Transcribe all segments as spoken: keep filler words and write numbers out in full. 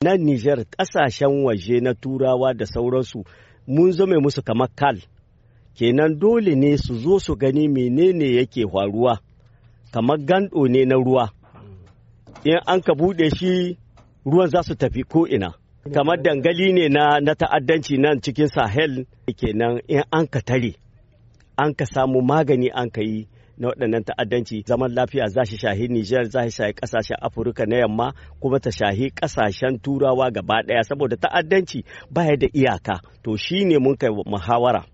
Nan Nijar, ƙasashen waje na Turawa da sauransu, mun zame musu kamar kal. Kenan dole ne su zo su gani menene yake faruwa, kamar gando ne na ruwa. In an ka buɗe shi, ruwan za su tafi ko'ina. Kamar dangali ne na, na ta'addanci nan cikin Sahel. Kenan in an ka tare, an ka samu magani an ka yi na waɗannan ta'addanci, zaman lafiya za shi shahi Nijar, za shi shahi ƙasashen Afirka na yamma, kuma ta shahi ƙasashen Turawa gaba ɗaya, saboda ta'addanci baya da iyaka. To shi ne mun kai muhawara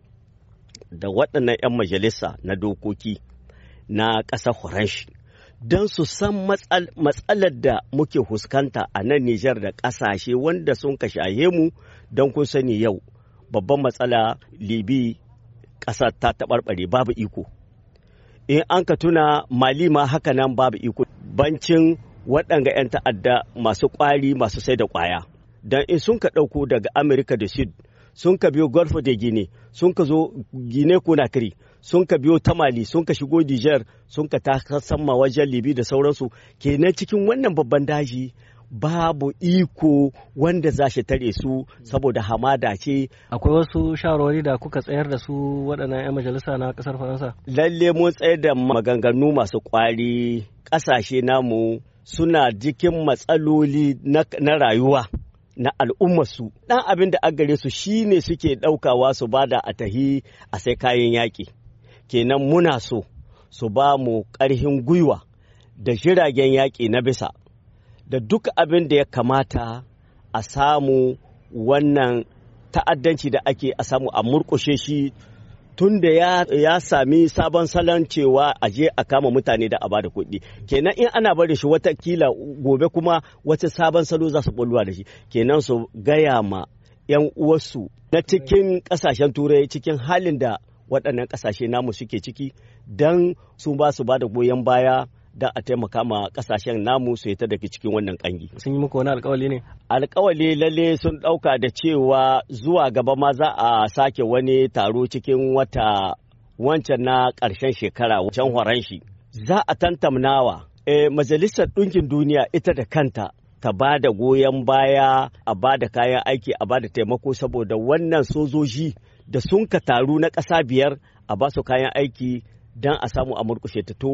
da waɗannan 'yan majalisa na dokoki na ƙasar Faranshi don su san matsalar da muke fuskanta a nan Nijar da ƙasashe wanda sun ka shahe mu. Don kun sani, yau babban matsala Libi, ƙasa ta taɓarɓare, babu iko. In an ka tuna Mali ma haka nan, babu iko, bancin waɗanga 'yan ta'adda masu ƙwari, masu sai da ƙwaya. Don in sun ka ɗauko daga Amurka da Sud, sun ka biyo Golfe de Guinea, sun ka zo Guinea Conakry, sun ka biyo ta Mali, sun ka shigo Niger, sun ka ta sama wajen Libi da sauransu. Kenan cikin wannan babban daji babu iko wanda za shi tare su, saboda hamada ce. Akwai wasu shawarwari da kuka tsayar da su waɗannan 'yan majalisa na ƙasar Faransa? Lalle mun tsayar da maganganu masu ƙwari. Ƙasashe namu suna cikin matsaloli na rayuwa na al'ummarsu. Ɗan abin da gare su shine suke ɗaukawa su bada a tahi a sai kayan yaƙi. Kenan muna so su ba mu ƙarfin gwiwa da jiragen yaƙi na bisa, da duk abin da ya kamata a samu wannan ta'addanci da ake a samu a murƙushe shi, tun da ya, ya sami sabon salon cewa a je a kama mutane da a bada kuɗi. Kenan in ana bari shi, watakila gobe kuma wata sabon salo za su bulwa da shi. Kenan su gaya ma 'yan uwarsu na cikin ƙasashen Turai cikin halin da waɗannan ƙasashe namu suke ciki, don su ba su ba da goyon baya don a taimaka ma ƙasashen namu su ta daga cikin wannan ƙangi. Sun yi muku wani alkawali ne? Alkawali lalle sun ɗauka da cewa zuwa gaba ma za a sake wani taro cikin wata wancan na ƙarshen shekara can horon shi. Za a tantamnawa. E, Majalisar Ɗinkin Duniya ita da kanta ta ba da goyon baya, a ba da kayan aiki, a ba da taimako, saboda wannan sojoji da sun ka taru na ƙasa biyar, a ba su kayan aiki don a samu a murƙushe ta. To